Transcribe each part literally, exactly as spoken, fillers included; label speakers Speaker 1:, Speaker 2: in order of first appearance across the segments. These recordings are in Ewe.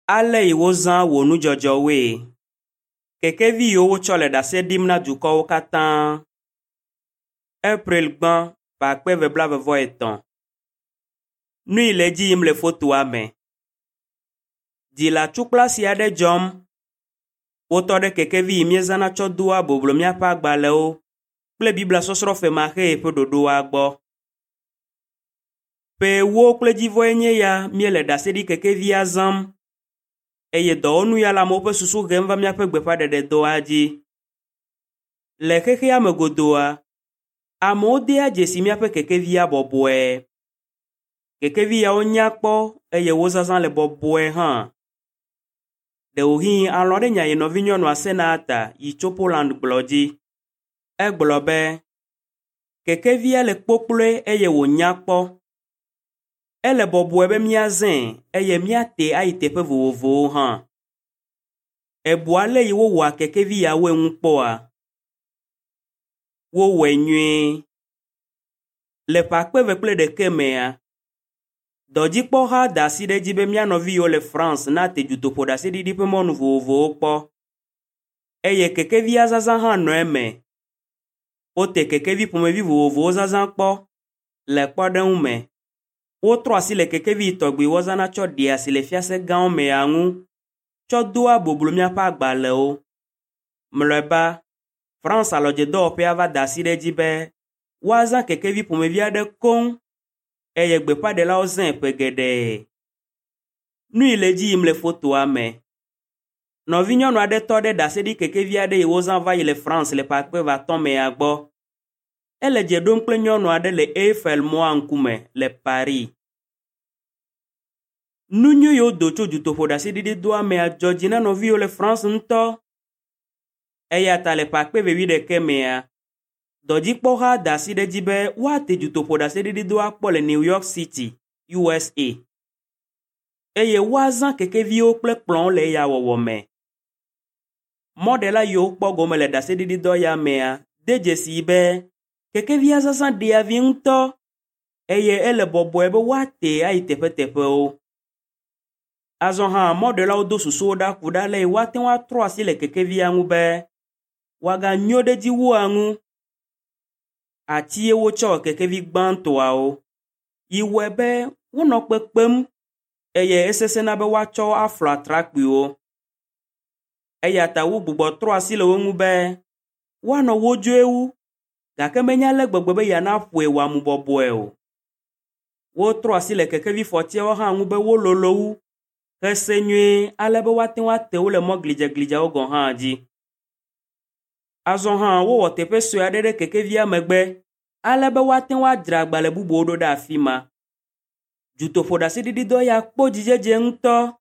Speaker 1: Ale yi wozã wò nudzɔdzɔwoe. Kekevi yiwo wotsɔ le ɖase ɖim na dukɔwo katã. April gbã ƒe akpe eve blaeve vɔ etɔ̃. Nu yi le edzi yim le fotoa me. Dzi le atukplasi aɖe dzɔm. Wotɔ ɖe kekevi yi míezãna tsɔ doa boblo míaƒe agbalẽwo kple Biblia sɔsrɔ̃ femaxee ƒe ɖoɖoa gbɔ. Ƒe ewo kple dzivɔe nye ya míele ɖaseɖikekevia zãm eye dɔwɔnu ya le amewo ƒe susu hem va míaƒe gbeƒãɖeɖedɔa dzi. Le xexea me godooa, amewo dea dzesi míaƒe kekevia bɔbɔe. Kekevi yawo nya kpɔ eye wo zazã le bɔbɔe hã. Ɖewohĩ alɔ̃ ɖe nya yi nɔvinyɔnua Senata yi tso Poland gblɔ dzi. Egblɔ be, kekevia le kpokploe eye wònya kpɔ. Ele bɔbɔe be míazãe eye míate ayi teƒe vovovowo hã. Èbu ale yi wowɔa kekevi yawoe ŋu kpɔa? Wowɔe nyuie. Le ƒe akpe eve kple ɖeke mea, dɔdzikpɔha da asi ɖe edzi be mía nɔvi yiwo le France nate dutoƒoɖaseɖiɖi ƒe mɔnu vovovowo kpɔ eye kekevia zazã hã nɔ eme. Wote kekevi ƒomevi vovovowo zazã kpɔ le kpɔɖeŋu me. Wotrɔ asi le kekevi tɔgbi wozãna tsɔ ɖea asi le fiase gãwo mea ŋu tsɔ doa boblo míaƒe agbalẽwo. Mlɔeba, France alɔdzedɔwɔƒea va da asi ɖe edzi be woazã kekevi ƒomevi aɖe koŋ eye gbeƒãɖelawo zãe ƒe geɖe. Nu yi le edzi yim le fotoa me. Nɔvinyɔnu aɖe tɔ ɖe ɖaseɖikekevi aɖe yi wozã va yi le France le ƒe akpe eve atɔ̃ mea gbɔ. Ele dze ɖom kple nyɔnu aɖe le Eiffel mɔa ŋkume le Paris. Nu nyui yiwo do tso dutoƒoɖaseɖiɖidɔa mea dzɔ dzi na nɔviwo le France ŋutɔ. Eya ta le ƒe akpe eve wuiɖeke mea, dɔdzikpɔha da asi ɖe edzi be woate dutoƒoɖaseɖiɖidɔa kpɔ le New York City, USA. Eye woazã kekeviwo kple kplɔ̃wo le eya wɔwɔ me. Mɔɖela yiwo kpɔ gome le ɖaseɖiɖidɔ ya mea de dzesii be kekevia zazã ɖea vi ŋutɔ eye ele bɔbɔe be woate ayi teƒeteƒewo. Azɔ hã mɔɖelawo do susuwo ɖa ku ɖe ale yi woate ŋu atrɔ asi le kekevia ŋu be wòaganyo ɖe edzi wua ŋu. Atie wotsɔ wɔ kekevi gbãtɔawo yi wɔe be wonɔ kpekpem eye esesẽna be woatsɔ wo aflɔ atrakpuiwo. Eya ta wogbugbɔ trɔ asi le wo ŋu be woanɔ wodzoe wu gake menye ale gbegbe be yeanaƒoe wòamu bɔbɔe o. Wotrɔ asi le kekevifɔtiawo hã ŋu be wololo wu hese nyuie ale be woate ŋu ate wo le mɔ glidzeglidzeawo gɔ̃ hã dzi. Azɔ hã wowɔ teƒe sue aɖe ɖe kekevia megbe ale be woate ŋu adzra agbalẽ bubuwo ɖo ɖe afi ma. Dutoƒoɖaseɖiɖidɔ ya kpɔ dzidzedze ŋutɔ.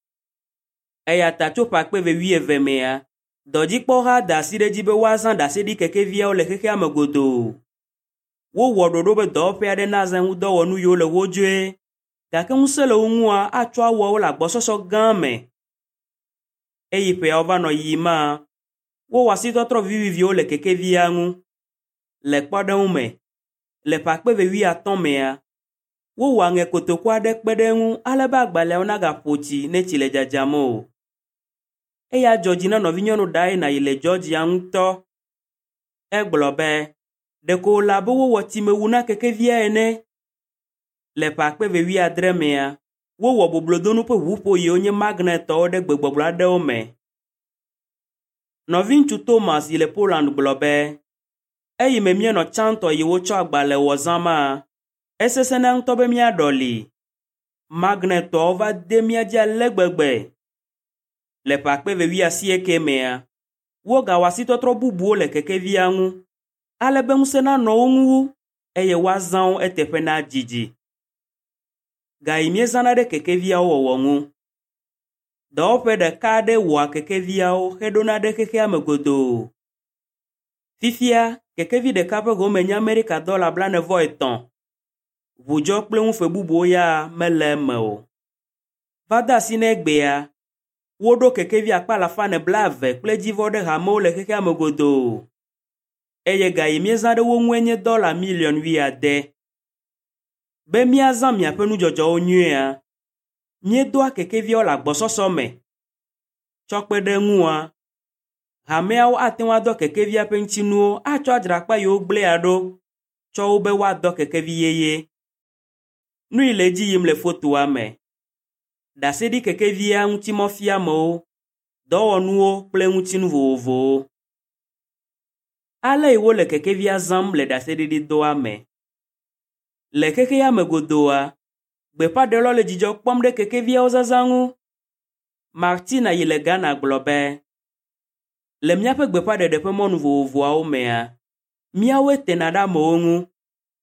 Speaker 1: Eya ta tso ƒe akpe eve wuieve mea, dɔdzikpɔha da asi ɖe edzi be woazã ɖaseɖikekeviawo le xexea me godoo. Wowɔ ɖoɖo be dɔwɔƒe aɖe nazã ŋudɔwɔnu yiwo le wodzoe gake ŋusẽ le wo ŋua atsɔ awɔ wo le agbɔsɔsɔ gã me. Eyi ƒeawo va nɔ yiyima, wowɔ asitɔtrɔ viviviwo le kekevia ŋu. Le kpɔɖeŋu me, le ƒe akpe eve wuiatɔ̃ mea, wowɔ aŋe kotoku aɖe kpe ɖe eŋu ale be agbalẽawo nagaƒo tsi ne tsi le dzadzam o. Eya dzɔ dzi na nɔvinyɔnu Diana yi le Georgia ŋutɔ. Egblɔ be, ɖeko wòle abe wowɔ tsimewu na kekevia ene. Le ƒe akpe eve wuiadre mea, wowɔ boblodonu ƒe ʋuƒo yiwo nye magnetɔwo ɖe gbegbɔgblɔ aɖewo me. Nɔviŋutsu Thomas yi le Poland gblɔ be, eyime míenɔ tsãtɔ yi wotsɔ agbalẽ wɔ zãma, esesẽna ŋutɔ be míaɖɔli. Magnetɔawo va de mía dzi ale gbegbe. Le ƒe akpe eve wuiasieke mea, wogawɔ asitɔtrɔ bubuwo le kekevia ŋu ale be ŋusẽ nanɔ wo ŋu wu eye woazã wo eteƒe nadidi. Ga yi míezãna ɖe kekeviawo wɔwɔ ŋu. Dɔwɔƒe ɖeka aɖe wɔa kekeviawo heɖona ɖe xexea me godoo. Fifia, kekevi ɖeka ƒe home nye Amerika dɔla blaene vɔ etɔ̃. Ʋudzɔ kple ŋufe bubuwo ya mele eme o. Va de asi na egbea, woɖo kekevi akpe alafa ene blaeve kple dzivɔ ɖe hamewo le xexea me godoo. Eye ga yi míezã ɖe wo ŋue nye dɔla miliɔn wuiade. Be míazã miaƒe nudzɔdzɔwo nyuiea, míedoa kekeviawo le agbɔsɔsɔ me Tsɔ kpe ɖe eŋua, hameawo ate ŋu adɔ kekevia ƒe ŋutinuwo atsɔ adzra akpa yiwo gblẽa ɖo tsɔ wu be woadɔ kekevi yeye. Nu yi le edzi yim le fotoa me. Ɖaseɖikekevia ŋutimɔfiamewo, dɔwɔnuwo kple ŋutinu vovovowo. Ale yi wole kekevia zãm le ɖaseɖiɖidɔa me. Le xexea me godooa, gbeƒãɖelawo le dzidzɔ kpɔm ɖe kekeviawo zazã ŋu. Martina yi le Ghana gblɔ be, le míaƒe gbeƒãɖeɖe ƒe mɔnu vovovoawo mea, míawoe tena ɖe amewo ŋu.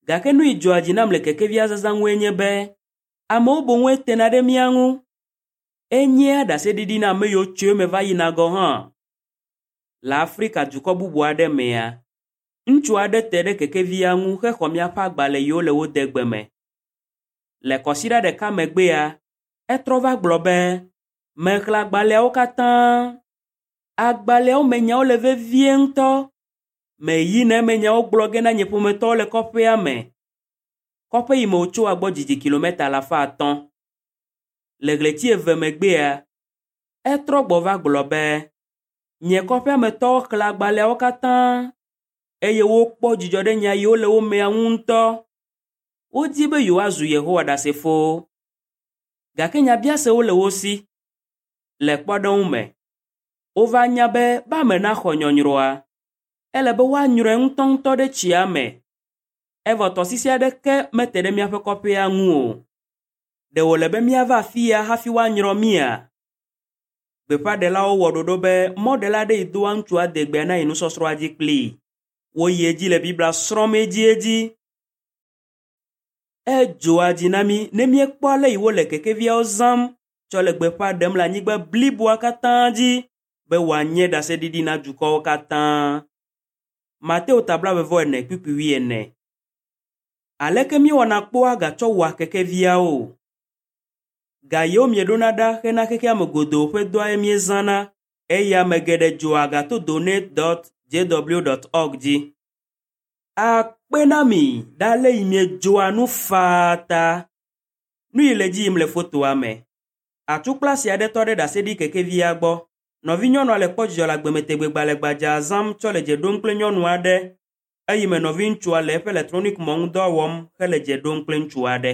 Speaker 1: Gake nu yi dzɔa dzi nam le kekevia zazã ŋue nye be, amewo boŋue tena ɖe mía ŋu. Enyea ɖaseɖiɖi na ame yiwo tso eme va yina gɔ̃ hã. Le Afrika dukɔ bubu aɖe mea, ŋutsu aɖe te ɖe kekevia ŋu hexɔ míaƒe agbalẽ yiwo le wo de gbe me. Le kɔsiɖa ɖeka megbea, etrɔ va gblɔ be, mexlẽ agbalẽawo katã. Agbalẽawo me nyawo le vevie ŋutɔ. Meyina eme nyawo gblɔ ge na nye ƒometɔwo le kɔƒea me. Kɔƒe yi me wòtsoa gbɔ didi kilometa alafa atɔ̃. Le ɣleti eve megbea, etrɔ gbɔ va gblɔ be, nye kɔƒea me tɔwo xlẽ agbalẽawo katã eye wokpɔ dzidzɔ ɖe nya yiwo le wo mea ŋu ŋutɔ. Wodi be yewoazu Yehowa Ɖasefowo. Gake nyabiasewo le wo si. Le kpɔɖeŋu me, wova nya be be ame naxɔ nyɔnyrɔa, ele be woanyrɔe ŋutɔŋutɔ ɖe tsia me. Evɔ tɔsisi aɖeke mete ɖe míaƒe kɔƒea ŋu o. Ɖe wòle be míava afi ya hafi woanyrɔ mía? Gbeƒãɖelawo wɔ ɖoɖo be mɔɖela aɖe yi doa ŋutsua degbea na yi nusɔsrɔ̃a dzi kplii. Woyi edzi le Biblia srɔ̃m edziedzi. Edzɔa dzi na mí ne míekpɔ ale yi wole kekeviawo zãm tsɔ le gbeƒã ɖem le anyigba bliboa katã dzi be wòanye ɖaseɖiɖi na dukɔwo katã. Mateo ta blaeve-vɔ-ene kpukpui wuiene. Aleke míewɔna kpɔa ga tsɔ wɔa kekeviawo? Ga yiwo mieɖona ɖa hena xexea me godoo ƒe dɔae míezãna eye ame geɖe dzɔa ga to donate dot jw dot org dzi. Akpe na mi ɖe ale yi miedzɔa nu faa ta. Nu yi le edzi yim le fotoa me. Atsu kple asi aɖe tɔ ɖe ɖaseɖikekevia gbɔ. Nɔvinyɔnua le kpɔ dzidzɔ le agbemetegbe gbadzaa zãm tsɔ le dze ɖom kple nyɔnu aɖe eyime nɔviŋutsua le eƒe elektronikmɔ ŋu dɔ wɔm hele dze ɖom kple ŋutsu aɖe.